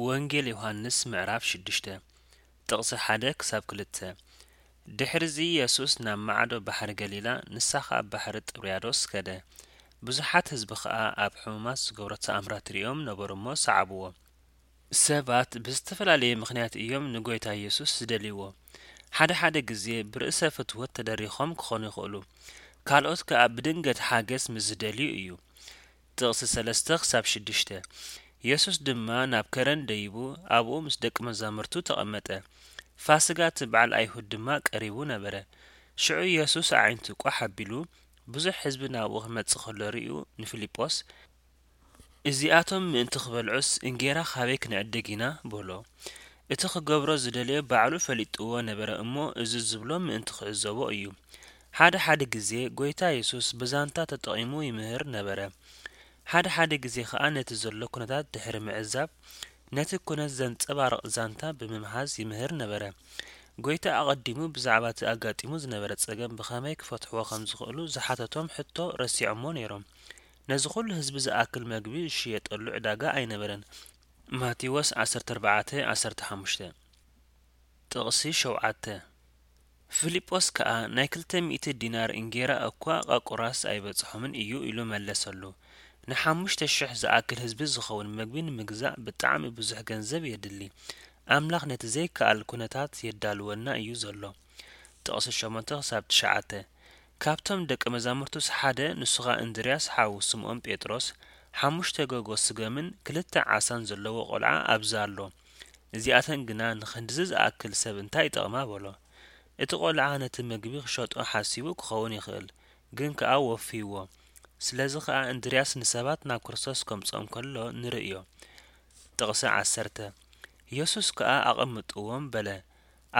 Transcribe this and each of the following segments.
ወንጌል ዮሃንስ ምዕራፍ ሽዱሽተ፣ ጥቕሲ ሓደ ክሳብ ክልተ። ድሕርዚ የሱስ ናብ ማዕዶ ባሕሪ ገሊላ፣ ንሳ ኸኣ ባሕሪ ጥብርያዶስ ከደ። ብዙሓት ህዝቢ ኸኣ ኣብ ሕሙማት ዝገብሮ ተኣምራት ሪኦም ነበሩ እሞ ሰዓብዎ። ሰባት ብዝተፈላለየ ምኽንያት እዮም ንጎይታ የሱስ ዝደልይዎ። ሓደ ሓደ ግዜ ብርእሰ ፍትወት ተደሪኾም ክኾኑ ይኽእሉ። ካልኦት ከኣ ብድንገት ሓገዝ ምስ ዝደልዩ እዩ። ጥቕሲ ሰለስተ ክሳብ ሽዱሽተ። የሱስ ድማ ናብ ከረን ደይቡ ኣብኡ ምስ ደቂ መዛሙርቱ ተቐመጠ። ፋስጋ እቲ በዓል ኣይሁድ ድማ ቀሪቡ ነበረ። ሽዑ የሱስ ኣዒንቱ ቋሕ ኣቢሉ ብዙሕ ህዝቢ ናብኡ ክመጽእ ከሎ ርእዩ ንፊልጶስ፣ "እዚኣቶም ምእንቲ ክበልዑስ እንጌራ ካበይ ክንዕድግ ኢና?" በሎ። እቲ ክገብሮ ዝደለዮ ባዕሉ ፈሊጥዎ ነበረ እሞ እዚ ዝብሎ ምእንቲ ክዕዘቦ እዩ። ሓደ ሓደ ግዜ ጎይታ የሱስ ብዛንታ ተጠቒሙ ይምህር ነበረ። ሓደ ሓደ ግዜ ኸኣ ነቲ ዘሎ ኩነታት ድሕሪ ምዕዛብ ነቲ ኩነት ዘንጸባርቕ ዛንታ ብምምሃዝ ይምህር ነበረ። ጎይታ ኣቐዲሙ ብዛዕባ እቲ ኣጋጢሙ ዝነበረ ጸገም ብኸመይ ክፈትሕዎ ከም ዝኽእሉ ዝሓተቶም ሕቶ ረሲዖሞ ነይሮም። ነዚ ኹሉ ህዝቢ ዝኣክል መግቢ ዝሽየጠሉ ዕዳጋ ኣይነበረን። ማቴዎስ ዓሰርተ ኣርባዕተ ዓሰርተ ሓሙሽተ። ጥቕሲ ሸውዓተ። ፊልጶስ ከኣ፣ "ናይ ክልተ ሚእቲ ዲናር እንጌራ እኳ ቃቁራስ ኣይበጽሖምን እዩ" ኢሉ መለሰሉ። ንሓሙሽተ ሽሕ ዝኣክል ህዝቢ ዝኸውን መግቢ ንምግዛእ ብጣዕሚ ብዙሕ ገንዘብ የድሊ። ኣምላኽ ነቲ ዘይከኣል ኩነታት የዳልወልና እዩ ዘሎ። ጥቕሲ ሸሞንተ ክሳብ ትሽዓተ። ካብቶም ደቀ መዛሙርቱስ ሓደ፣ ንሱ ኸኣ እንድርያስ ሓው ስምዖን ጴጥሮስ፣ ሓሙሽተ ጎጎ ስገምን ክልተ ዓሳን ዘለዎ ቈልዓ ኣብዚ ኣሎ። እዚኣተን ግና ንኽንድዚ ዝኣክል ሰብ እንታይ ይጠቕማ? በሎ። እቲ ቈልዓ ነቲ መግቢ ክሸጦ ሓሲቡ ክኸውን ይኽእል፣ ግን ከኣ ወፍይዎ። ስለዚ ኸኣ እንድርያስ ንሰባት ናብ ክርስቶስ ከምጽኦም ከሎ ንርእዮ። ጥቕሲ ዓሰርተ። የሱስ ከኣ ኣቐምጥዎም በለ።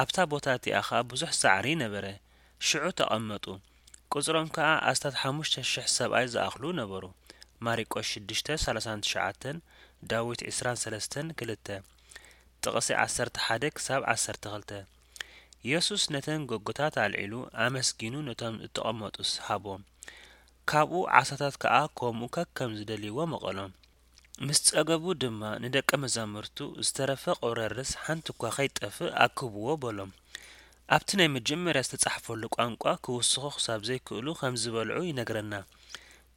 ኣብታ ቦታ እቲኣ ኸኣ ብዙሕ ሳዕሪ ነበረ። ሽዑ ተቐመጡ። ቁጽሮም ከኣ ኣስታት ሓሙሽተ ሽሕ ሰብኣይ ዝኣኽሉ ነበሩ። ማሪቆስ ሽዱሽተ ሰላሳን ትሽዓተን፣ ዳዊት ዕስራን ሰለስተን ክልተ። ጥቕሲ ዓሰርተ ሓደ ክሳብ ዓሰርተ ክልተ። የሱስ ነተን ጎጎታት ኣልዒሉ ኣመስጊኑ ነቶም እተቐመጡስ ሃቦም። ካብኡ ዓሳታት ከኣ ከምኡ ከከም ዝደልይዎ መቐሎም። ምስ ጸገቡ ድማ ንደቀ መዛሙርቱ፣ "ዝተረፈ ቁረርስ ሓንቲ እኳ ከይጠፍእ ኣክብዎ" በሎም። ኣብቲ ናይ መጀመርያ ዝተጻሕፈሉ ቋንቋ ክውስኹ ክሳብ ዘይክእሉ ከም ዝበልዑ ይነግረና።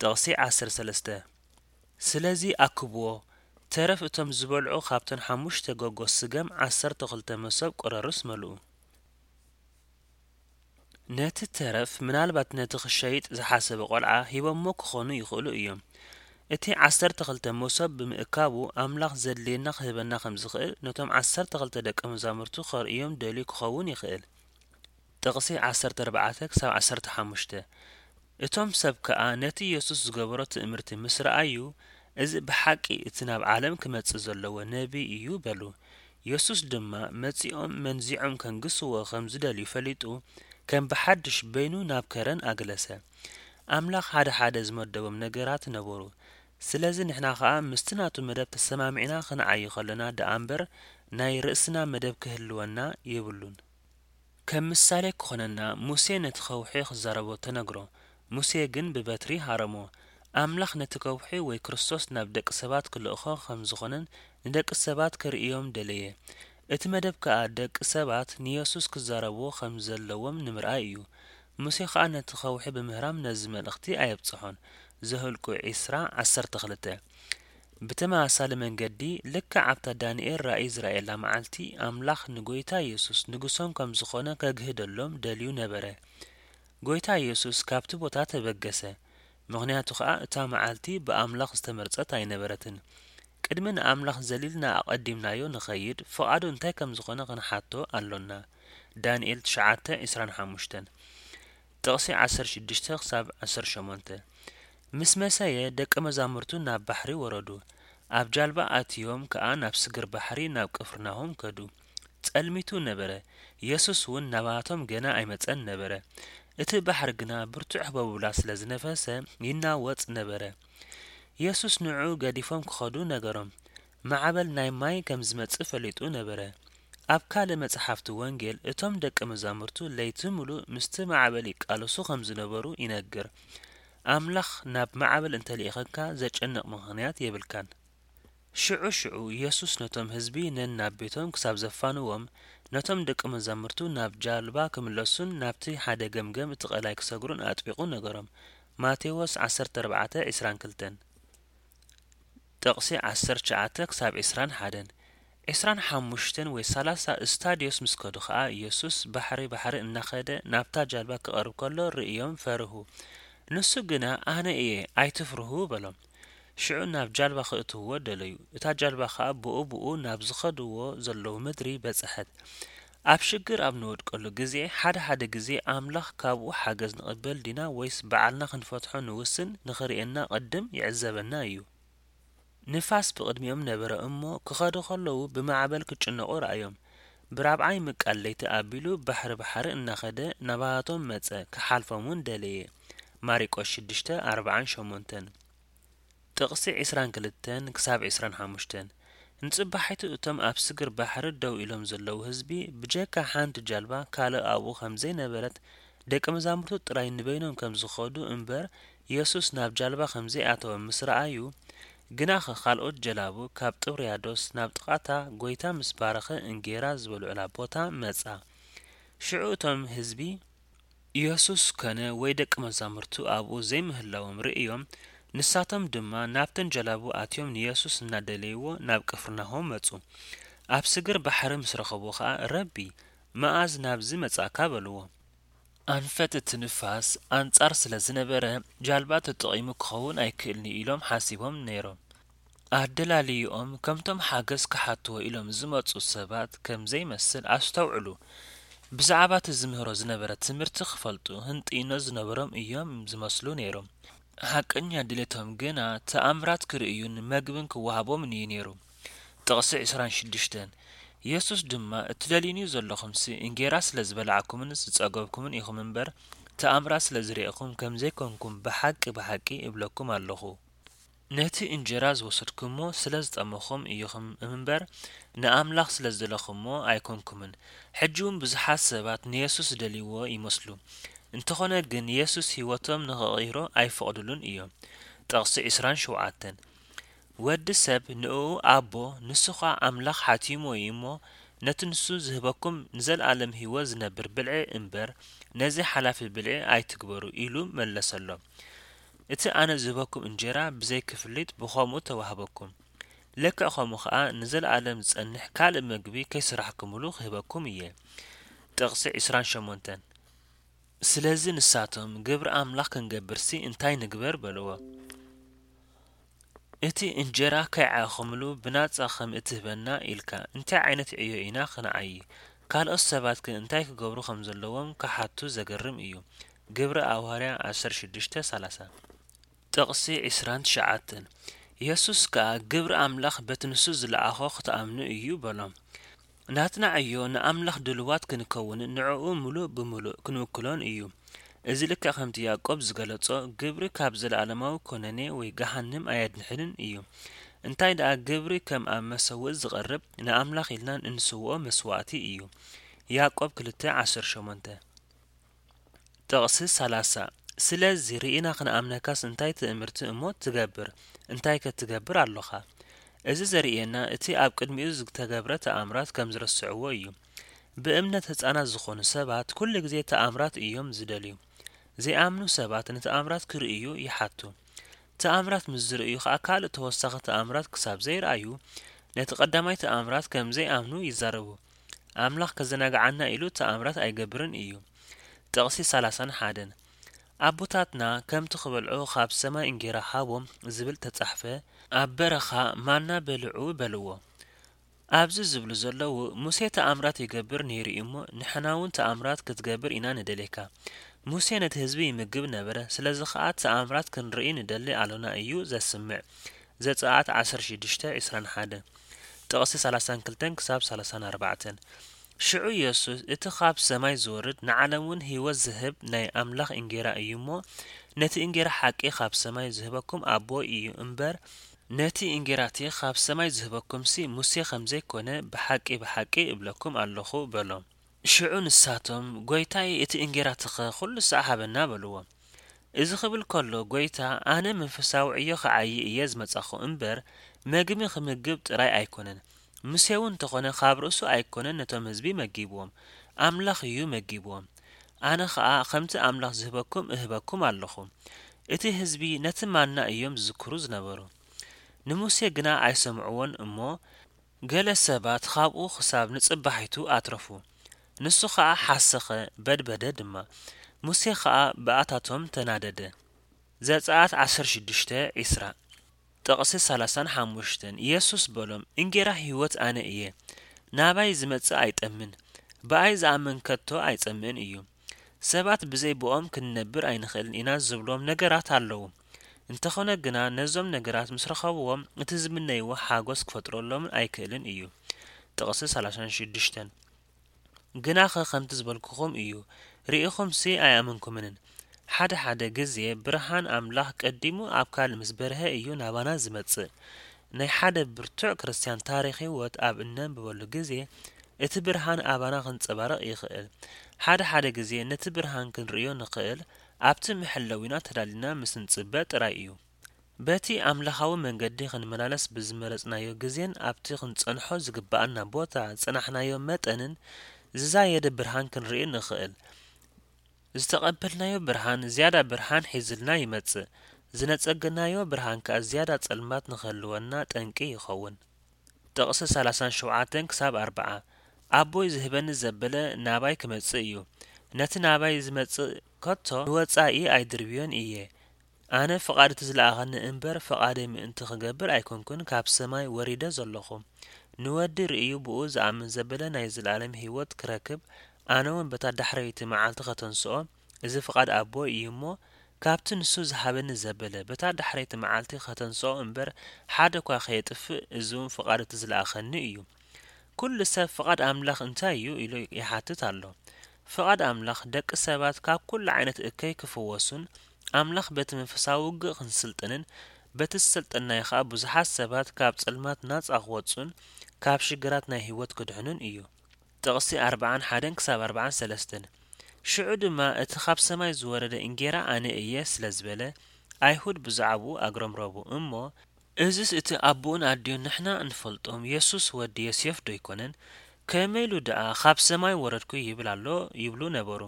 ጥቕሲ ዓሰርተ ሰለስተ። ስለዚ ኣክብዎ፣ ተረፍ እቶም ዝበልዑ ካብተን ሓሙሽተ ጎጎ ስገም ዓሰርተ ክልተ መሶብ ቁረርስ መልኡ። ነቲ ተረፍ ምናልባት ነቲ ክሸይጥ ዝሓሰበ ቈልዓ ሂቦሞ ክኾኑ ይኽእሉ እዮም። እቲ ዓሰርተ ክልተ መሶብ ብምእካቡ ኣምላኽ ዘድልየና ክህበና ከም ዝኽእል ነቶም ዓሰርተ ክልተ ደቀ መዛሙርቱ ከርእዮም ደልዩ ክኸውን ይኽእል። ጥቕሲ ዓሰርተ ኣርባዕተ ክሳብ ዓሰርተ ሓሙሽተ። እቶም ሰብ ከኣ ነቲ የሱስ ዝገበሮ ትእምርቲ ምስ ረኣዩ፣ "እዚ ብሓቂ እቲ ናብ ዓለም ክመጽእ ዘለዎ ነቢይ እዩ" በሉ። የሱስ ድማ መጺኦም መንዚዖም ከንግስዎ ከም ዝደልዩ ፈሊጡ፣ ከም ብሓድሽ በይኑ ናብ ከረን ኣግለሰ። ኣምላኽ ሓደ ሓደ ዝመደቦም ነገራት ነበሩ። ስለዚ ንሕና ኸኣ ምስቲ ናቱ መደብ ተሰማሚዕና ክንዓዪ ከለና ደኣ እምበር ናይ ርእስና መደብ ክህልወና የብሉን። ከም ምሳሌ ክኾነና፣ ሙሴ ነቲ ከውሒ ክዛረቦ ተነግሮ። ሙሴ ግን ብበትሪ ሃረሞ። ኣምላኽ ነቲ ከውሒ ወይ ክርስቶስ ናብ ደቂ ሰባት ክልእኾ ከም ዝኾነን ንደቂ ሰባት ከርእዮም ደለየ። እቲ መደብ ከኣ ደቂ ሰባት ንየሱስ ክዛረብዎ ከም ዘለዎም ንምርኣይ እዩ። ሙሴ ኸኣ ነቲ ከውሒ ብምህራም ነዚ መልእኽቲ ኣየብጽሖን። ዘኍልቁ ዕስራ ዓሰርተ ክልተ። ብተመሳሳሊ መንገዲ፣ ልክዕ ኣብታ ዳንኤል ራእይ ዝረኣየላ መዓልቲ፣ ኣምላኽ ንጎይታ የሱስ ንጉሶም ከም ዝኾነ ከግህደሎም ደልዩ ነበረ። ጎይታ የሱስ ካብቲ ቦታ ተበገሰ፣ ምኽንያቱ ኸኣ እታ መዓልቲ ብኣምላኽ ዝተመርጸት ኣይነበረትን። ቅድሚ ንኣምላኽ ዘሊልና ኣቐዲምናዮ ንኸይድ፣ ፍቓዱ እንታይ ከም ዝኾነ ክንሓቶ ኣሎና። ዳንኤል ትሽዓተ ዕስራን ሓሙሽተን። ጥቕሲ ዓሰርተ ሽዱሽተ ክሳብ ዓሰርተ ሸሞንተ። ምስ መሰየ፣ ደቀ መዛሙርቱ ናብ ባሕሪ ወረዱ። ኣብ ጃልባ ኣትዮም ከኣ ናብ ስግር ባሕሪ ናብ ቅፍርናሆም ከዱ። ጸልሚቱ ነበረ። የሱስ እውን ናባቶም ገና ኣይመጸን ነበረ። እቲ ባሕሪ ግና ብርቱዕ ህቦብላ ስለ ዝነፈሰ ይናወጽ ነበረ። የሱስ ንዕኡ ገዲፎም ክኸዱ ነገሮም። ማዕበል ናይ ማይ ከም ዝመጽእ ፈሊጡ ነበረ። ኣብ ካልእ መጽሓፍቲ ወንጌል፣ እቶም ደቀ መዛሙርቱ ለይቲ ምሉእ ምስቲ ማዕበል ይቃለሱ ከም ዝነበሩ ይነግር። ኣምላኽ ናብ ማዕበል እንተልኢኸካ ዘጨንቕ ምኽንያት የብልካን። ሽዑ ሽዑ የሱስ ነቶም ህዝቢ ነናብ ቤቶም ክሳብ ዘፋንዎም፣ ነቶም ደቂ መዛሙርቱ ናብ ጃልባ ክምለሱን ናብቲ ሓደ ገምገም እቲ ቀላይ ክሰግሩን ኣጥቢቑ ነገሮም። ማቴዎስ ዓሰርተ ኣርባዕተ ዕስራን ክልተን። ጥቕሲ ዓሰርተ ትሽዓተ ክሳብ ዕስራን ሓደን። ዕስራን ሓሙሽተን ወይ ሰላሳ እስታድዮስ ምስ ከዱ ኸኣ፣ ኢየሱስ ባሕሪ ባሕሪ እናኸደ ናብታ ጃልባ ክቐርብ ከሎ ርእዮም ፈርሁ። ንሱ ግና፣ ኣነ እየ፣ ኣይትፍርሁ በሎም። ሽዑ ናብ ጃልባ ክእትውዎ ደለዩ። እታ ጃልባ ኸኣ ብኡ ብኡ ናብ ዝኸድዎ ዘለዉ ምድሪ በጽሐት። ኣብ ሽግር ኣብ ንወድቀሉ ግዜ፣ ሓደ ሓደ ግዜ ኣምላኽ ካብኡ ሓገዝ ንቕበል ዲና ወይስ ባዕልና ክንፈትሖ ንውስን ንኽርእየና ቅድም ይዕዘበና እዩ። ንፋስ ብቕድሚኦም ነበረ እሞ፣ ክኸዱ ከለዉ ብማዕበል ክጭነቑ ረኣዮም። ብራብዓይ ምቃል ለይቲ ኣቢሉ ባሕሪ ባሕሪ እናኸደ ናባቶም መጸ፣ ክሓልፎም እውን ደለየ። ማሪቆስ ሽዱሽተ ኣርባዓን ሸሞንተን። ጥቕሲ ዕስራን ክልተን ክሳብ ዕስራን ሓሙሽተን። ንጽባሒቱ እቶም ኣብ ስግር ባሕሪ ደው ኢሎም ዘለዉ ህዝቢ፣ ብጀካ ሓንቲ ጃልባ ካልእ ኣብኡ ከም ዘይነበረት፣ ደቂ መዛሙርቱ ጥራይ ንበይኖም ከም ዝኸዱ እምበር፣ የሱስ ናብ ጃልባ ከም ዘይኣተወ ምስ ረኣዩ፣ ግናኸ ካልኦት ጀላቡ ካብ ጥብርያዶስ ናብ ጥቓታ ጐይታ ምስ ባረኸ እንጌራ ዝበልዑላ ቦታ መጻ። ሽዑ እቶም ህዝቢ፣ የሱስ ኮነ ወይ ደቂ መዛሙርቱ ኣብኡ ዘይምህላዎም ርእዮም፣ ንሳቶም ድማ ናብተን ጀላቡ ኣትዮም ንየሱስ እናደለይዎ ናብ ቅፍርናሆም መጹ። ኣብ ስግር ባሕሪ ምስ ረኸብዎ ኸኣ፣ ረቢ፣ መኣዝ ናብዚ መጻእካ? በልዎ። ኣንፈት እቲ ንፋስ ኣንጻር ስለ ዝነበረ፣ ጃልባ ተጠቒሙ ክኸውን ኣይክእልን እዩ ኢሎም ሓሲቦም ነይሮም። ኣደላልይኦም ከምቶም ሓገዝ ክሓትዎ ኢሎም ዝመጹ ሰባት ከም ዘይመስል ኣስተውዕሉ። ብዛዕባ እቲ ዝምህሮ ዝነበረ ትምህርቲ ክፈልጡ ህንጥይኖ ዝነበሮም እዮም ዝመስሉ ነይሮም። ሓቀኛ ድሌቶም ግና ተኣምራት ክርእዩን መግብን ክወሃቦምን እዩ ነይሩ። ጥቕሲ ዕስራን ሽዱሽተን። የሱስ ድማ፣ እትደልዩኒ ዘለኹምሲ እንጌራ ስለ ዝበላዕኩምን ዝጸገብኩምን ኢኹም እምበር፣ ተኣምራት ስለ ዝርእኹም ከም ዘይኮንኩም ብሓቂ ብሓቂ እብለኩም ኣለኹ። ነቲ እንጀራ ዝወሰድኩሞ ስለ ዝጠመኹም ኢኹም እምበር፣ ንኣምላኽ ስለ ዝደለኹሞ ኣይኮንኩምን። ሕጂ እውን ብዙሓት ሰባት ንየሱስ ዝደልይዎ ይመስሉ። እንተኾነ ግን፣ የሱስ ህይወቶም ንኽቕይሮ ኣይፈቕድሉን እዮም። ጥቕሲ ዕስራን ሸውዓተን። ወዲ ሰብ ንእኡ ኣቦ፣ ንሱ ኸኣ ኣምላኽ ሓቲሞ እዩ እሞ፣ ነቲ ንሱ ዝህበኩም ንዘለኣለም ህይወት ዝነብር ብልዒ እምበር፣ ነዚ ሓላፊ ብልዒ ኣይትግበሩ ኢሉ መለሰሎም። እቲ ኣነ ዝህበኩም እንጀራ ብዘይ ክፍሊት ብኸምኡ ተዋህበኩም። ልክዕ ከምኡ ኸኣ ንዘለኣለም ዝጸንሕ ካልእ መግቢ ከይሰራሕኩምሉ ክህበኩም እየ። ጥቕሲ ዕስራን ሸሞንተን። ስለዚ ንሳቶም፣ ግብሪ ኣምላኽ ክንገብርሲ እንታይ ንግበር? በልዎ። እቲ እንጀራ ከይዓኸምሉ ብናጻ ከም እትህበና ኢልካ እንታይ ዓይነት ዕዮ ኢና ክንዓዪ? ካልኦት ሰባትከ እንታይ ክገብሩ ከም ዘለዎም ክሓቱ ዘገርም እዩ። ግብሪ ኣዋርያ ዓሰርተ ሽዱሽተ ሰላሳ። ጥቕሲ ዕስራን ትሽዓተን። የሱስ ከኣ፣ ግብሪ ኣምላኽ በቲ ንሱ ዝለኣኾ ክትኣምኑ እዩ በሎም። ናትና ዕዮ ንኣምላኽ ድልዋት ክንከውንን ንዕኡ ምሉእ ብምሉእ ክንውክሎን እዩ። እዚ ልክዕ ከምቲ ያዕቆብ ዝገለጾ፣ ግብሪ ካብ ዘለኣለማዊ ኮነኔ ወይ ገሃንም ኣየድሕንን እዩ። እንታይ ደኣ፣ ግብሪ ከም ኣብ መሰውኢ ዝቐርብ ንኣምላኽ ኢልና እንስውኦ መስዋእቲ እዩ። ያዕቆብ ክልተ ዓሰርተ ሸሞንተ። ጥቕሲ ሰላሳ። ስለዚ ርኢና ክንኣምነካስ እንታይ ትእምርቲ እሞ ትገብር? እንታይ ከ ትገብር ኣሎኻ? እዚ ዘርእየና እቲ ኣብ ቅድሚኡ ዝተገብረ ተኣምራት ከም ዝረስዕዎ እዩ። ብእምነት ህጻናት ዝኾኑ ሰባት ኩሉ ግዜ ተኣምራት እዮም ዝደልዩ። ዘይኣምኑ ሰባት ንተኣምራት ክርእዩ ይሓቱ። ተኣምራት ምስ ዝርእዩ ኸኣ ካልእ ተወሳኺ ተኣምራት ክሳብ ዘይረኣዩ ነቲ ቀዳማይ ተኣምራት ከም ዘይኣምኑ ይዛረቡ። ኣምላኽ ከዘናግዓና ኢሉ ተኣምራት ኣይገብርን እዩ። ጥቕሲ ሰላሳን ሓደን። ኣቦታትና ከምቲ ክበልዑ ካብ ሰማይ እንጌራ ሃቦም ዝብል ተጻሕፈ፣ ኣብ በረኻ ማና በልዑ በልዎ። ኣብዚ ዝብሉ ዘለዉ፣ ሙሴ ተኣምራት ይገብር ነይሩ እዩ እሞ፣ ንሕና እውን ተኣምራት ክትገብር ኢና ንደልየካ። ሙሴ ነቲ ህዝቢ ይምግብ ነበረ፣ ስለዚ ኸኣ ተኣምራት ክንርኢ ንደሊ ኣሎና እዩ ዘስምዕ። ዘጸኣት ዓሰርተ ሽዱሽተ ዕስራን ሓደን። ጥቕሲ ሰላሳን ክልተን ክሳብ ሰላሳን ኣርባዕተን። ሽዑ የሱስ፣ እቲ ኻብ ሰማይ ዝወርድ ንዓለም እውን ህይወት ዝህብ ናይ ኣምላኽ እንጌራ እዩ እሞ፣ ነቲ እንጌራ ሓቂ ኻብ ሰማይ ዝህበኩም ኣቦይ እዩ እምበር፣ ነቲ እንጌራ እቲ ኻብ ሰማይ ዝህበኩምሲ ሙሴ ኸም ዘይኮነ ብሓቂ ብሓቂ እብለኩም ኣለኹ በሎም። ሽዑ ንሳቶም፣ ጐይታይ፣ እቲ እንጌራ እቲ ኸ ኹሉ ሳዕ ሃበና በልዎ። እዚ ኽብል ከሎ፣ ጐይታ፣ ኣነ መንፈሳዊ ዕዮ ኽዓዪ እየ ዝመጻኹ እምበር፣ መግቢ ክምግብ ጥራይ ኣይኮነን፣ ሙሴ እውን እንተኾነ ካብ ርእሱ ኣይኮነን ነቶም ህዝቢ መጊብዎም፣ ኣምላኽ እዩ መጊብዎም። ኣነ ኸኣ ከምቲ ኣምላኽ ዝህበኩም እህበኩም ኣለኹ። እቲ ህዝቢ ነቲ ማና እዮም ዝዝክሩ ዝነበሩ። ንሙሴ ግና ኣይሰምዕዎን እሞ፣ ገለ ሰባት ካብኡ ክሳብ ንጽባሒቱ ኣትረፉ። ንሱ ኸኣ ሓሰኸ፣ በድበደ ድማ። ሙሴ ኸኣ ብኣታቶም ተናደደ። ዘጸኣት ዓሰርተ ሽዱሽተ ዒስራ፣ ጥቕሲ ሰላሳን ሓሙሽተን። የሱስ በሎም፣ እንጌራ ህይወት ኣነ እየ። ናባይ ዝመጽእ ኣይጠምን፣ ብኣይ ዝኣምን ከቶ ኣይጸምእን እዩ። ሰባት ብዘይ ብኦም ክንነብር ኣይንኽእልን ኢና ዝብሎም ነገራት ኣለዉ። እንተኾነ ግና ነዞም ነገራት ምስ ረኸብዎም እቲ ዝምነይዎ ሓጎስ ክፈጥረሎምን ኣይክእልን እዩ። ጥቕሲ ሰላሳን ሽዱሽተን። ግናኸ ከምቲ ዝበልኩኹም እዩ፣ ርኢኹምሲ ኣይኣመንኩምንን። ሓደ ሓደ ግዜ ብርሃን ኣምላኽ ቀዲሙ ኣብ ካልእ ምስ በርሀ እዩ ናባና ዝመጽእ። ናይ ሓደ ብርቱዕ ክርስትያን ታሪኽ ህይወት ኣብ እነንብበሉ ግዜ እቲ ብርሃን ኣባና ክንጸባረቕ ይኽእል። ሓደ ሓደ ግዜ ነቲ ብርሃን ክንርእዮ ንኽእል ኣብቲ መሐለዊና ተዳሊና ምስ ንጽበ ጥራይ እዩ። በቲ ኣምላኻዊ መንገዲ ክንመላለስ ብዝመረጽናዮ ግዜን ኣብቲ ክንጸንሖ ዝግብኣና ቦታ ዝጸናሕናዮ መጠንን ዝዛየደ ብርሃን ክንርኢ ንኽእል። ዝተቐበልናዮ ብርሃን ዝያዳ ብርሃን ሒዝልና ይመጽእ፣ ዝነጸገናዮ ብርሃን ከኣ ዝያዳ ጸልማት ንኽህልወና ጠንቂ ይኸውን። ጥቕሲ ሰላሳን ሸውዓተን ክሳብ ኣርብዓ። ኣቦይ ዝህበኒ ዘበለ ናባይ ክመጽእ እዩ። ነቲ ናባይ ዝመጽእ ከቶ ንወጻኢ ኣይድርብዮን እየ። ኣነ ፍቓድ እቲ ዝለኣኸኒ እምበር ፍቓደይ ምእንቲ ክገብር ኣይኮንኩን ካብ ሰማይ ወሪደ ዘለኹ። ንወዲ ርእዩ ብኡ ዝኣምን ዘበለ ናይ ዘለኣለም ህይወት ክረክብ፣ ኣነ እውን በታ ዳሕረይቲ መዓልቲ ከተንስኦ፣ እዚ ፍቓድ ኣቦይ እዩ እሞ፣ ካብቲ ንሱ ዝሃበኒ ዘበለ በታ ዳሕረይቲ መዓልቲ ከተንስኦ እምበር ሓደ እኳ ከየጥፍእ፣ እዚ እውን ፍቓድ እቲ ዝለኣኸኒ እዩ። ኩሉ ሰብ ፍቓድ ኣምላኽ እንታይ እዩ ኢሉ ይሓትት ኣሎ። ፍቓድ ኣምላኽ ደቂ ሰባት ካብ ኩሉ ዓይነት እከይ ክፍወሱን ኣምላኽ በቲ መንፈሳዊ ውግእ ክንስልጥንን በቲ ዝሰልጠናዮ ኸኣ ብዙሓት ሰባት ካብ ጸልማት ናጻ ክወጹን ካብ ሽግራት ናይ ህይወት ክድሕኑን እዩ። ጥቕሲ ኣርብዓን ሓደን ክሳብ ኣርብዓን ሰለስተን። ሽዑ ድማ እቲ ካብ ሰማይ ዝወረደ እንጌራ ኣነ እየ ስለ ዝበለ፣ ኣይሁድ ብዛዕባኡ ኣግረምረሙ እሞ፣ እዝስ እቲ ኣቦኡን ኣዲኡን ንሕና እንፈልጦም የሱስ ወዲ ዮሴፍ ዶ ኣይኮነን? ከመይ ኢሉ ደኣ ካብ ሰማይ ወረድኩ ይብል ኣሎ? ይብሉ ነበሩ።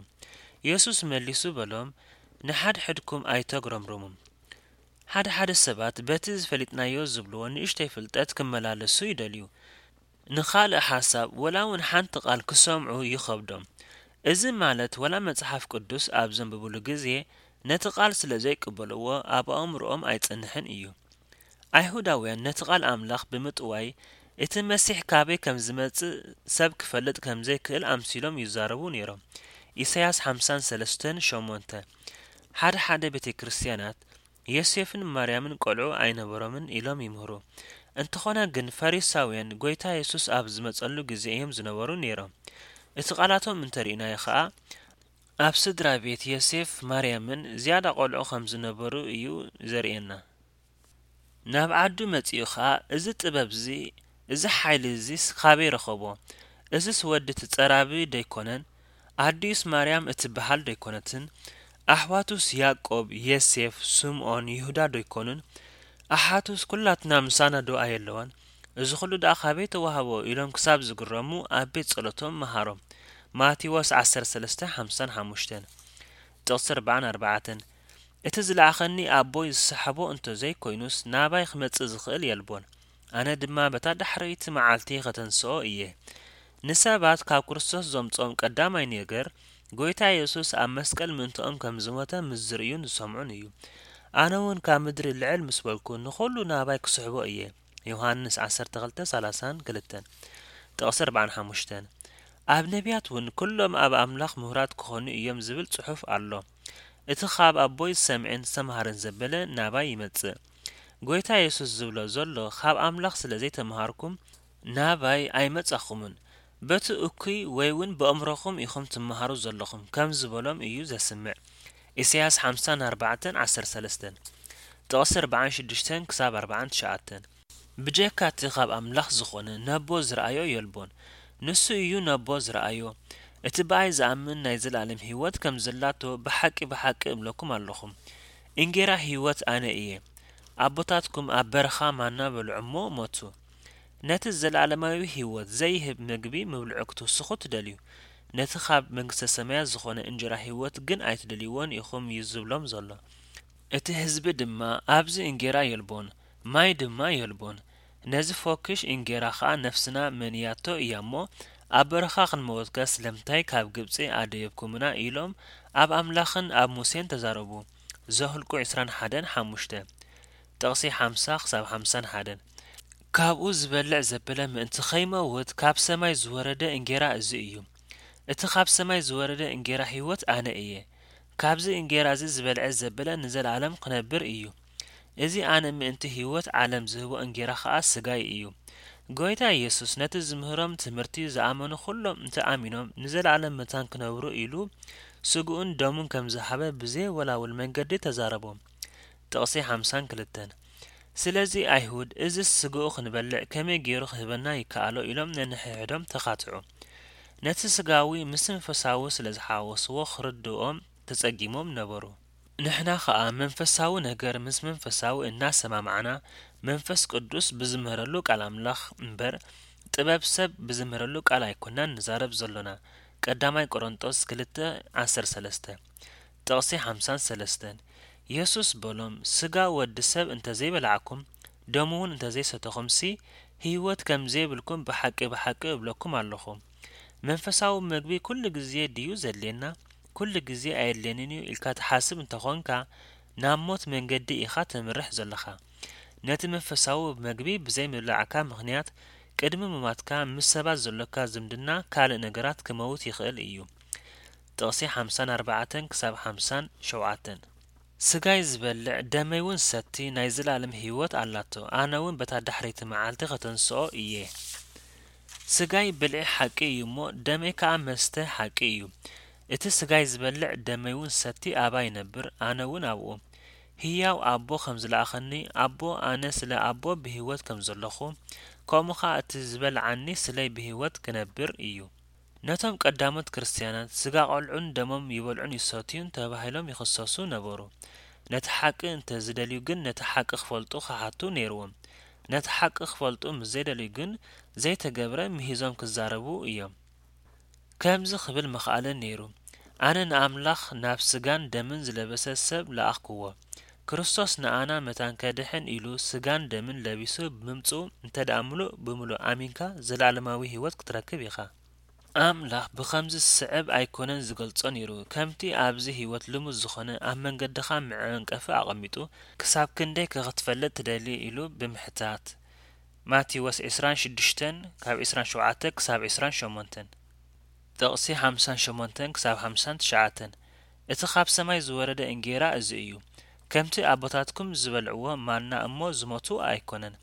የሱስ መሊሱ በሎም፣ ንሓድሕድኩም ኣይተግረምርሙ። ሓደ ሓደ ሰባት በቲ ዝፈሊጥናዮ ዝብልዎ ንእሽተይ ፍልጠት ክመላለሱ ይደልዩ። ንኻልእ ሓሳብ ወላ እውን ሓንቲ ቃል ክሰምዑ ይኸብዶም። እዚ ማለት ወላ መጽሓፍ ቅዱስ ኣብ ዘንብብሉ ግዜ ነቲ ቃል ስለ ዘይቅበልዎ ኣብ ኣእምሮኦም ኣይጸንሕን እዩ። ኣይሁዳውያን ነቲ ቃል ኣምላኽ ብምጥዋይ እቲ መሲሕ ካበይ ከም ዝመጽእ ሰብ ክፈልጥ ከም ዘይክእል ኣምሲሎም ይዛረቡ ነይሮም። ኢሳያስ ሓምሳን ሰለስተን ሸሞንተ። ሓደ ሓደ ቤተ ክርስቲያናት ዮሴፍን ማርያምን ቆልዑ ኣይነበሮምን ኢሎም ይምህሩ። እንተኾነ ግን ፈሪሳውያን ጐይታ የሱስ ኣብ ዝመጸሉ ግዜ እዮም ዝነበሩ ነይሮም። እቲ ቃላቶም እንተርኢናዮ ኸኣ ኣብ ስድራ ቤት ዮሴፍ ማርያምን ዝያዳ ቆልዑ ከም ዝነበሩ እዩ ዘርእየና። ናብ ዓዱ መጺኡ ኸኣ እዚ ጥበብ እዚ እዚ ሓይሊ እዚስ ካበይ ረኸቦ? እዝስ ወዲ እቲ ጸራቢ ደይኮነን? ኣዲኡስ ማርያም እትበሃል ደይኮነትን? ኣሕዋቱስ ያዕቆብ፣ ዮሴፍ፣ ስምኦን፣ ይሁዳ ደይኮኑን? ኣሓቱስ ኩላትና ምሳና ዶ ኣየለዋን? እዚ ኹሉ ደኣ ካበይ ተዋህቦ? ኢሎም ክሳብ ዝግረሙ ኣብ ቤት ጸሎቶም መሃሮም። ማቴዎስ ዓሰርተ ሰለስተ ሓምሳን ሓሙሽተን። ጥቕሲ ኣርባዓን ኣርባዕተን። እቲ ዝለኣኸኒ ኣቦይ ዝሰሓቦ እንተ ዘይኮይኑስ ናባይ ክመጽእ ዝኽእል የልቦን። ኣነ ድማ በታ ዳሕረይቲ መዓልቲ ኸተንስኦ እየ። ንሰባት ካብ ክርስቶስ ዘምጽኦም ቀዳማይ ነገር፣ ጐይታ የሱስ ኣብ መስቀል ምእንትኦም ከም ዝሞተ ምስ ዝርእዩን ዝሰምዑን እዩ። ኣነ እውን ካብ ምድሪ ልዕል ምስ በልኩ ንኹሉ ናባይ ክስሕቦ እየ። ዮሃንስ ዓሰርተ ክልተ ሰላሳን ክልተን። ጥቕሲ ኣርባዓን ሓሙሽተን። ኣብ ነቢያት እውን ኩሎም ኣብ ኣምላኽ ምሁራት ክኾኑ እዮም ዝብል ጽሑፍ ኣሎ። እቲ ኻብ ኣቦይ ዝሰምዐን ዝተምሃረን ዘበለ ናባይ ይመጽእ። ጐይታ የሱስ ዝብሎ ዘሎ ኻብ ኣምላኽ ስለ ዘይተምሃርኩም ናባይ ኣይመጻኹምን። በቲ እኩይ ወይ እውን ብኣእምሮኹም ኢኹም ትምሃሩ ዘለኹም ከም ዝበሎም እዩ ዘስምዕ። ኢሳያስ ሓምሳን ኣርባዕተን ዓሰርተ ሰለስተን። ጥቕሲ ኣርባዓን ሽዱሽተን ክሳብ ኣርባዓን ትሽዓተን። ብጀካ እቲ ኻብ ኣምላኽ ዝኾነ ነቦ ዝረኣዮ የልቦን። ንሱ እዩ ነቦ ዝረኣዮ። እቲ ብኣይ ዝኣምን ናይ ዘለኣለም ህይወት ከም ዘላቶ ብሓቂ ብሓቂ እብለኩም ኣለኹ። እንጌራ ህይወት ኣነ እየ። ኣቦታትኩም ኣብ በረኻ ማና በልዑ እሞ ሞቱ። ነቲ ዘለኣለማዊ ህይወት ዘይህብ ምግቢ ምብልዑ ክትውስኹ ትደልዩ። ነቲ ካብ መንግስተ ሰማያት ዝኾነ እንጀራ ህይወት ግን ኣይትደልይዎን ኢኹም እዩ ዝብሎም ዘሎ። እቲ ህዝቢ ድማ፣ "ኣብዚ እንጌራ የልቦን፣ ማይ ድማ የልቦን። ነዚ ፈኲሽ እንጌራ ኸኣ ነፍስና መንያቶ እያ እሞ፣ ኣብ በረኻ ክንመወትከ ስለምንታይ ካብ ግብጺ ኣደየብኩምና?" ኢሎም ኣብ ኣምላኽን ኣብ ሙሴን ተዛረቡ። ዘኍልቁ ዕስራን ሓደን ሓሙሽተ፣ ጥቕሲ ሓምሳ ክሳብ ሓምሳን ሓደን። ካብኡ ዝበልዕ ዘበለ ምእንቲ ኸይመውት ካብ ሰማይ ዝወረደ እንጌራ እዚ እዩ። እቲ ካብ ሰማይ ዝወረደ እንጌራ ህይወት ኣነ እየ። ካብዚ እንጌራ እዚ ዝበልዐ ዘበለ ንዘለኣለም ክነብር እዩ። እዚ ኣነ ምእንቲ ህይወት ዓለም ዝህቦ እንጌራ ኸኣ ስጋይ እዩ። ጎይታ ኢየሱስ ነቲ ዝምህሮም ትምህርቲ ዝኣመኑ ኩሎም እንተ ኣሚኖም ንዘለኣለም መታን ክነብሩ ኢሉ ስግኡን ደሙን ከም ዝሃበ ብዘየወላውል መንገዲ ተዛረቦም። ጥቕሲ ሓምሳን ክልተን። ስለዚ ኣይሁድ፣ "እዝስ ስግኡ ክንበልዕ ከመይ ገይሩ ክህበና ይከኣሎ?" ኢሎም ነንሕድሕዶም ተኻትዑ። ነቲ ስጋዊ ምስ መንፈሳዊ ስለ ዝሓወስዎ ክርድኦም ተጸጊሞም ነበሩ። ንሕና ኸኣ መንፈሳዊ ነገር ምስ መንፈሳዊ እናሰማማዕና፣ መንፈስ ቅዱስ ብዝምህረሉ ቃል ኣምላኽ እምበር፣ ጥበብ ሰብ ብዝምህረሉ ቃል ኣይኮናን ንዛረብ ዘሎና። ቀዳማይ ቆሮንጦስ ክልተ ዓሰርተ ሰለስተ፣ ጥቕሲ ሓምሳን ሰለስተን። የሱስ በሎም፣ "ስጋ ወዲ ሰብ እንተ ዘይበላዕኩም፣ ደሙ እውን እንተ ዘይሰተኹምሲ፣ ህይወት ከም ዘይብልኩም ብሓቂ ብሓቂ እብለኩም ኣለኹ።" መንፈሳዊ ምግቢ ኩሉ ግዜ ድዩ ዘድልየና? ኩሉ ግዜ ኣየድልየንን እዩ ኢልካ ትሓስብ እንተኾንካ፣ ናብ ሞት መንገዲ ኢኻ ተምርሕ ዘለኻ። ነቲ መንፈሳዊ መግቢ ብዘይምብላዕካ ምኽንያት፣ ቅድሚ ምማትካ ምስ ሰባት ዘሎካ ዝምድና ካልእ ነገራት ክመውት ይኽእል እዩ። ጥቕሲ ሓምሳን ኣርባዕተን ክሳብ ሓምሳን ሸውዓተን። "ስጋይ ዝበልዕ ደመይ እውን ዝሰቲ ናይ ዘለኣለም ህይወት ኣላቶ፣ ኣነ እውን በታ ዳሕረይቲ መዓልቲ ከተንስኦ እየ።" ስጋይ ብልዒ ሓቂ እዩ እሞ፣ ደመይ ከኣ መስተ ሓቂ እዩ። እቲ ስጋይ ዝበልዕ ደመይ እውን ዝሰቲ ኣባይ ይነብር፣ ኣነ እውን ኣብኡ። ህያው ኣቦ ከም ዝለኣኸኒ፣ ኣቦ ኣነ ስለ ኣቦ ብህይወት ከም ዘለኹ፣ ከምኡ ኸኣ እቲ ዝበልዓኒ ስለይ ብህይወት ክነብር እዩ። ነቶም ቀዳሞት ክርስትያናት፣ ስጋ ቆልዑን ደሞም ይበልዑን ይሰትዩን ተባሂሎም ይኽሰሱ ነበሩ። ነቲ ሓቂ እንተ ዝደልዩ ግን፣ ነቲ ሓቂ ክፈልጡ ክሓቱ ነይርዎም። ነቲ ሓቂ ክፈልጡ ምስ ዘይደልዩ ግን፣ ዘይተገብረ ምሂዞም ክዛረቡ እዮም። ከምዚ ክብል ምኽኣለ ነይሩ፣ "ኣነ ንኣምላኽ ናብ ስጋን ደምን ዝለበሰ ሰብ ለኣኽክዎ። ክርስቶስ ንኣና መታን ከድሕን ኢሉ ስጋን ደምን ለቢሱ ብምምጽኡ እንተ ደኣ ምሉእ ብምሉእ ኣሚንካ ዘለኣለማዊ ህይወት ክትረክብ ኢኻ።" ኣምላኽ ብኸምዚ ዝስዕብ ኣይኮነን ዝገልጾ ነይሩ፣ ከምቲ ኣብዚ ህይወት ልሙድ ዝኾነ ኣብ መንገድኻ መዐንቀፊ ኣቐሚጡ፣ "ክሳብ ክንደይ ከ ክትፈልጥ ትደሊ?" ኢሉ ብምሕታት። ማቴዎስ ዕስራን ሽዱሽተን ካብ ዕስራን ሸውዓተ ክሳብ ዕስራን ሸሞንተን። ጥቕሲ ሓምሳን ሸሞንተን ክሳብ ሓምሳን ትሽዓተን። እቲ ካብ ሰማይ ዝወረደ እንጌራ እዚ እዩ። ከምቲ ኣቦታትኩም ዝበልዕዎ ማና እሞ ዝሞቱ ኣይኮነን።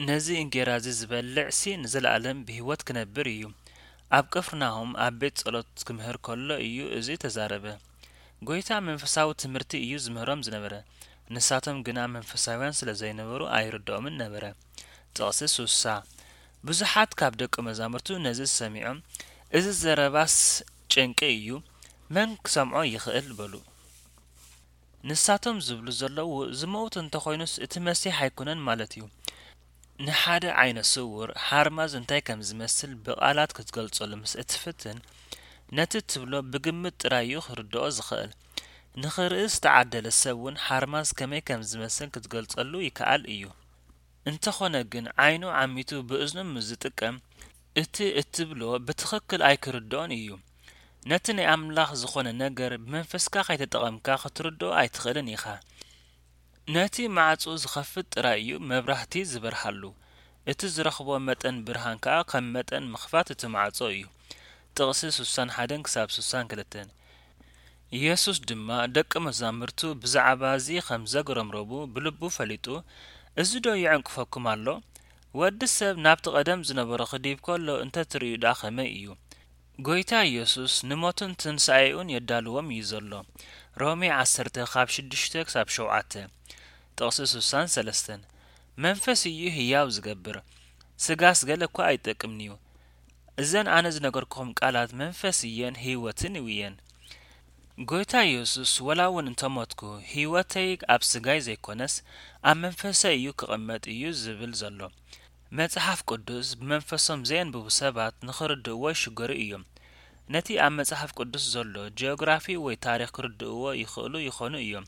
ነዚ እንጌራ እዚ ዝበልዕሲ ንዘለኣለም ብህይወት ክነብር እዩ። ኣብ ቅፍርናሆም ኣብ ቤት ጸሎት ክምህር ከሎ እዩ እዚ ተዛረበ። ጎይታ መንፈሳዊ ትምህርቲ እዩ ዝምህሮም ዝነበረ። ንሳቶም ግና መንፈሳውያን ስለ ዘይነበሩ ኣይርድኦምን ነበረ። ጥቕሲ ሱሳ። ብዙሓት ካብ ደቂ መዛሙርቱ ነዚ ሰሚዖም፣ "እዚ ዘረባስ ጭንቂ እዩ፣ መን ክሰምዖ ይኽእል?" በሉ። ንሳቶም ዝብሉ ዘለዉ፣ "ዝመውት እንተኾይኑስ እቲ መሲሕ ኣይኮነን ማለት እዩ?" ንሓደ ዓይነ ስውር ሓርማዝ እንታይ ከም ዝመስል ብቓላት ክትገልጸሉ ምስ እትፍትን፣ ነቲ ትብሎ ብግምት ጥራይ እዩ ክርድኦ ዝኽእል። ንኽርኢ ዝተዓደለ ሰብ እውን ሓርማዝ ከመይ ከም ዝመስል ክትገልጸሉ ይከኣል እዩ። እንተኾነ ግን ዓይኑ ዓሚቱ ብእዝኑ ምስ ዝጥቀም፣ እቲ እትብሎ ብትኽክል ኣይክርድኦን እዩ። ነቲ ናይ ኣምላኽ ዝኾነ ነገር ብመንፈስካ ከይተጠቐምካ ክትርድኦ ኣይትኽእልን ኢኻ። ነቲ ማዕጾ ዝኸፍት ጥራይ እዩ መብራህቲ ዝበርሃሉ። እቲ ዝረኽቦ መጠን ብርሃን ከኣ ከም መጠን ምኽፋት እቲ ማዕጾ እዩ። ጥቕሲ ሱሳን ሓደን ክሳብ ሱሳን ክልተን። የሱስ ድማ ደቂ መዛሙርቱ ብዛዕባ እዚ ከም ዘጉረምረሙ ብልቡ ፈሊጡ፣ "እዚ ዶ ይዕንቅፈኩም ኣሎ? ወዲ ሰብ ናብቲ ቀደም ዝነበሮ ክድይብ ከሎ እንተ ትርእዩ ደኣ ከመይ እዩ?" ጎይታ የሱስ ንሞቱን ትንሳኤኡን የዳልዎም እዩ ዘሎ። ሮሜ ዓሰርተ ካብ ሽዱሽተ ክሳብ ሸውዓተ። ጥቕሲ ሱሳን ሰለስተን። መንፈስ እዩ ህያው ዝገብር፣ ስጋስ ገለ እኳ ኣይጠቅምን'ዩ። እዘን ኣነ ዝነገርኩኹም ቃላት መንፈስ እየን ህይወትን እየን። ጎይታ ኢየሱስ፣ "ወላ እውን እንተሞትኩ፣ ህይወተይ ኣብ ስጋይ ዘይኮነስ፣ ኣብ መንፈሰይ እዩ ክቕመጥ" እዩ ዝብል ዘሎ። መጽሓፍ ቅዱስ ብመንፈሶም ዘየንብቡ ሰባት ንኽርድእዎ ይሽገሩ እዮም። ነቲ ኣብ መጽሓፍ ቅዱስ ዘሎ ጂኦግራፊ ወይ ታሪኽ ክርድእዎ ይኽእሉ ይኾኑ እዮም።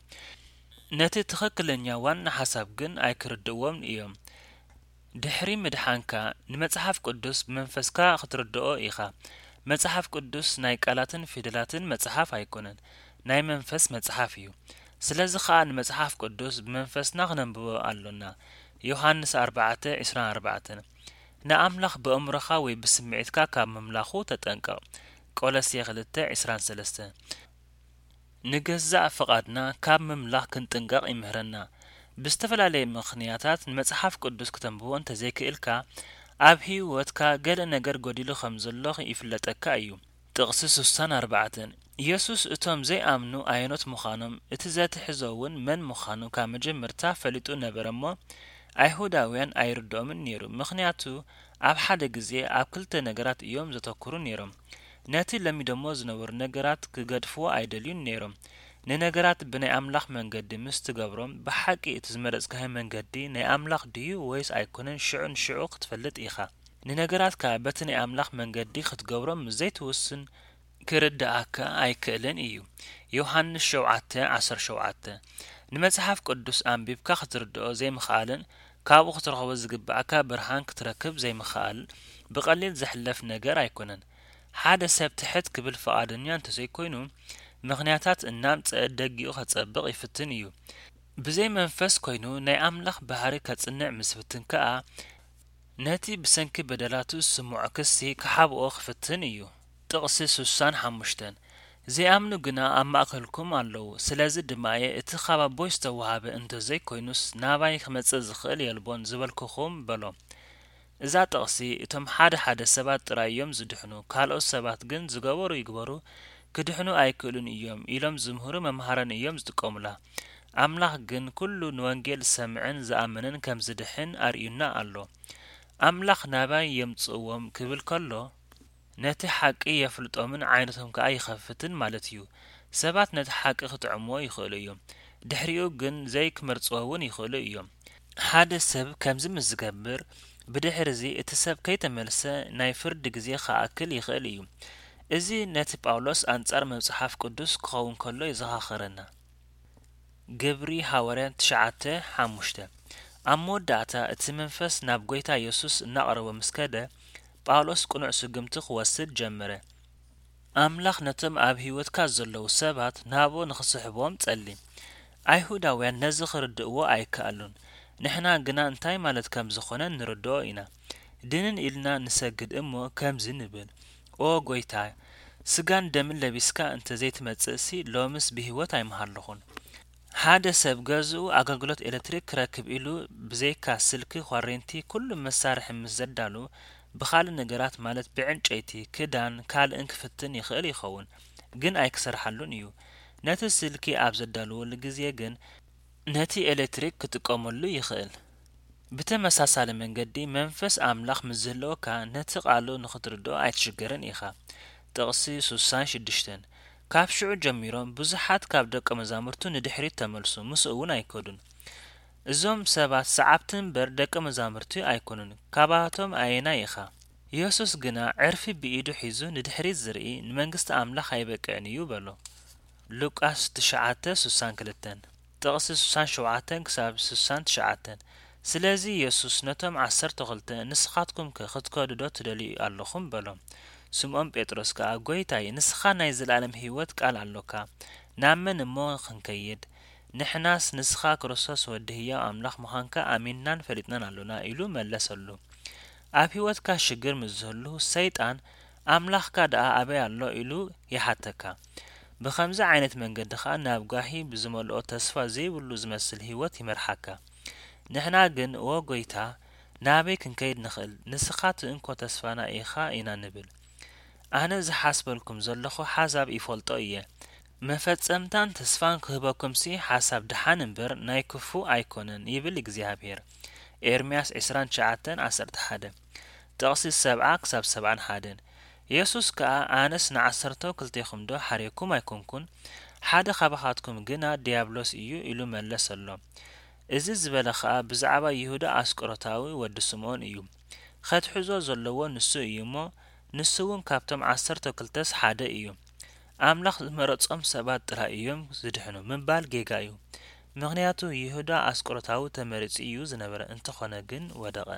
ነቲ ትኽክለኛ ዋና ሓሳብ ግን ኣይክርድእዎን እዮም። ድሕሪ ምድሓንካ፣ ንመጽሓፍ ቅዱስ ብመንፈስካ ክትርድኦ ኢኻ። መጽሓፍ ቅዱስ ናይ ቃላትን ፊደላትን መጽሓፍ ኣይኮነን፣ ናይ መንፈስ መጽሓፍ እዩ። ስለዚ ኸኣ ንመጽሓፍ ቅዱስ ብመንፈስና ክነንብቦ ኣሎና። ዮሃንስ ኣርባዕተ ዕስራን ኣርባዕተን። ንኣምላኽ ብእምሮኻ ወይ ብስምዒትካ ካብ ምምላኹ ተጠንቀቕ። ቆሎሴ ክልተ ዕስራን ሰለስተን። ንገዛእ ፍቓድና ካብ ምምላኽ ክንጥንቀቕ ይምህረና። ብዝተፈላለየ ምኽንያታት ንመጽሓፍ ቅዱስ ክተንብቦ እንተዘይክእልካ፣ ኣብ ህይወትካ ገለ ነገር ጎዲሉ ከም ዘሎ ይፍለጠካ እዩ። ጥቕሲ ስሳን ኣርባዕተን። ኢየሱስ እቶም ዘይኣምኑ ኣየኖት ምዃኖም፣ እቲ ዘትሕዞ እውን መን ምዃኑ ካብ መጀመርታ ፈሊጡ ነበረ እሞ፣ ኣይሁዳውያን ኣይርድኦምን ነይሩ። ምኽንያቱ፣ ኣብ ሓደ ግዜ ኣብ ክልተ ነገራት እዮም ዘተኩሩ ነይሮም። ነቲ ለሚዶሞ ዝነበሩ ነገራት ክገድፍዎ ኣይደልዩን ነይሮም። ንነገራት ብናይ ኣምላኽ መንገዲ ምስ ትገብሮም፣ ብሓቂ እቲ ዝመረጽካዮ መንገዲ ናይ ኣምላኽ ድዩ ወይስ ኣይኮነን፣ ሽዑ ንሽዑ ክትፈልጥ ኢኻ። ንነገራት ከኣ በቲ ናይ ኣምላኽ መንገዲ ክትገብሮም ምስ ዘይትውስን፣ ክርድኣካ ኣይክእልን እዩ። ዮሃንስ ሸውዓተ ዓሰርተ ሸውዓተ። ንመጽሓፍ ቅዱስ ኣንቢብካ ክትርድኦ ዘይምኽኣልን ካብኡ ክትረኽቦ ዝግብኣካ ብርሃን ክትረክብ ዘይምኽኣል ብቐሊል ዝሕለፍ ነገር ኣይኮነን። ሓደ ሰብ ትሕት ክብል ፍቓደኛ እንተዘይኮይኑ፣ ምኽንያታት እናምጽአ ደጊኡ ከጸብቕ ይፍትን እዩ። ብዘይ መንፈስ ኮይኑ ናይ ኣምላኽ ባህሪ ከጽንዕ ምስ ፍትን ከኣ፣ ነቲ ብሰንኪ በደላቱ ዝስምዖ ክሲ ክሓብኦ ክፍትን እዩ። ጥቕሲ ስሳን ሓሙሽተን። ዘይኣምኑ ግና ኣብ ማእከልኩም ኣለዉ፣ ስለዚ ድማ እየ እቲ ካብ ኣቦይ ዝተዋህበ እንተዘይኮይኑስ ናባይ ክመጽእ ዝኽእል የልቦን ዝበልኩኹም በሎ። እዛ ጥቕሲ እቶም ሓደ ሓደ ሰባት ጥራይ እዮም ዝድሕኑ፣ ካልኦት ሰባት ግን ዝገበሩ ይግበሩ ክድሕኑ ኣይክእሉን እዮም ኢሎም ዝምህሩ መምሃራን እዮም ዝጥቀሙላ። ኣምላኽ ግን ኩሉ ንወንጌል ዝሰምዐን ዝኣመነን ከም ዝድሕን ኣርእዩና ኣሎ። ኣምላኽ ናባይ የምጽእዎም ክብል ከሎ፣ ነቲ ሓቂ የፍልጦምን ዓይነቶም ከኣ ይኸፍትን ማለት እዩ። ሰባት ነቲ ሓቂ ክጥዕምዎ ይኽእሉ እዮም። ድሕሪኡ ግን ዘይክመርጽዎ እውን ይኽእሉ እዮም። ሓደ ሰብ ከምዚ ምስ ዝገብር፣ ብድሕርዚ እቲ ሰብ ከይተመልሰ ናይ ፍርዲ ግዜ ክኣክል ይኽእል እዩ። እዚ ነቲ ጳውሎስ ኣንጻር መጽሓፍ ቅዱስ ክኸውን ከሎ የዘኻኽረና። ግብሪ ሃዋርያን ትሽዓተ ሓሙሽተ። ኣብ መወዳእታ እቲ መንፈስ ናብ ጐይታ የሱስ እናቐረቦ ምስ ከደ፣ ጳውሎስ ቅኑዕ ስጉምቲ ክወስድ ጀመረ። ኣምላኽ ነቶም ኣብ ህይወትካ ዘለዉ ሰባት ናብኡ ንኽስሕብዎም ጸሊ። ኣይሁዳውያን ነዚ ክርድእዎ ኣይከኣሉን። ንሕና ግና እንታይ ማለት ከም ዝኾነ ንርድኦ ኢና። ድንን ኢልና ንሰግድ እሞ ከምዚ ንብል፣ "ኦ ጐይታ፣ ስጋን ደምን ለቢስካ እንተ ዘይትመጽእሲ ሎምስ ብህይወት ኣይምሃለኹን።" ሓደ ሰብ ገዝኡ ኣገልግሎት ኤለክትሪክ ክረክብ ኢሉ ብዘይካ ስልኪ፣ ኳሬንቲ፣ ኩሉ መሳርሒ ምስ ዘዳሉ፣ ብኻልእ ነገራት ማለት ብዕንጨይቲ፣ ክዳን፣ ካልእን ክፍትን ይኽእል ይኸውን፣ ግን ኣይክሰርሓሉን እዩ። ነቲ ስልኪ ኣብ ዘዳልወሉ ግዜ ግን ነቲ ኤለክትሪክ ክጥቀመሉ ይኽእል። ብተመሳሳሊ መንገዲ መንፈስ ኣምላኽ ምስ ዝህልወካ ነቲ ቃሉ ንኽትርድኦ ኣይትሽገርን ኢኻ። ጥቕሲ ስሳን ሽዱሽተን። ካብ ሽዑ ጀሚሮም ብዙሓት ካብ ደቀ መዛሙርቱ ንድሕሪት ተመልሱ፣ ምስኡ እውን ኣይከዱን። እዞም ሰባት ሰዓብቲ እምበር ደቀ መዛሙርቲ ኣይኮኑን። ካባቶም ኣየናይ ኢኻ? የሱስ ግና ዕርፊ ብኢዱ ሒዙ ንድሕሪት ዝርኢ ንመንግስቲ ኣምላኽ ኣይበቅዕን እዩ በሎ። ሉቃስ ትሽዓተ ስሳን ክልተን፣ ጥቕሲ ስሳን ሸውዓተን ክሳብ ስሳን ትሽዓተን። ስለዚ የሱስ ነቶም ዓሰርተ ክልተ፣ "ንስኻትኩምከ ክትከዱ ዶ ትደልዩ ኣለኹም?" በሎም። ስምዖን ጴጥሮስ ከኣ፣ "ጐይታይ፣ ንስኻ ናይ ዘለኣለም ህይወት ቃል ኣሎካ፣ ናብ መን እሞ ክንከይድ? ንሕናስ ንስኻ ክርስቶስ ወዲ ህያው ኣምላኽ ምዃንካ ኣሚንናን ፈሊጥናን ኣሎና" ኢሉ መለሰሉ። ኣብ ህይወትካ ሽግር ምስ ዝህሉ፣ ሰይጣን፣ "ኣምላኽካ ደኣ ኣበይ ኣሎ?" ኢሉ ይሓተካ። ብኸምዚ ዓይነት መንገዲ ኸኣ ናብ ጓሂ ብዝመልኦ ተስፋ ዘይብሉ ዝመስል ህይወት ይመርሓካ። ንሕና ግን፣ "ኦ ጐይታ፣ ናበይ ክንከይድ ንኽእል? ንስኻ እቲ እንኮ ተስፋና ኢኻ" ኢና ንብል። ኣነ ዝሓስበልኩም ዘለኹ ሓሳብ ይፈልጦ እየ። መፈጸምታን ተስፋን ክህበኩምሲ ሓሳብ ደሓን እምበር ናይ ክፉእ ኣይኮነን ይብል እግዚኣብሔር። ኤርምያስ ዕስራን ትሽዓተን ዓሰርተ ሓደ፣ ጥቕሲ ሰብዓ ክሳብ ሰብዓን ሓደን። የሱስ ከኣ፣ ኣነስ ንዓሰርተው ክልቴኹምዶ ሓርየኩም ኣይኮንኩን? ሓደ ኻባኻትኩም ግና ድያብሎስ እዩ ኢሉ መለሰሎም። እዚ ዝበለ ኸኣ ብዛዕባ ይሁዳ ኣስቆሮታዊ ወዲ ስምኦን እዩ። ኸትሕዞ ዘለዎ ንሱ እዩ እሞ፣ ንሱ እውን ካብቶም ዓሰርተው ክልተስ ሓደ እዩ። ኣምላኽ ዝመረጾም ሰባት ጥራይ እዮም ዝድሕኑ ምባል ጌጋ እዩ። ምኽንያቱ ይሁዳ ኣስቆሮታዊ ተመሪጹ እዩ ዝነበረ፣ እንተኾነ ግን ወደቐ።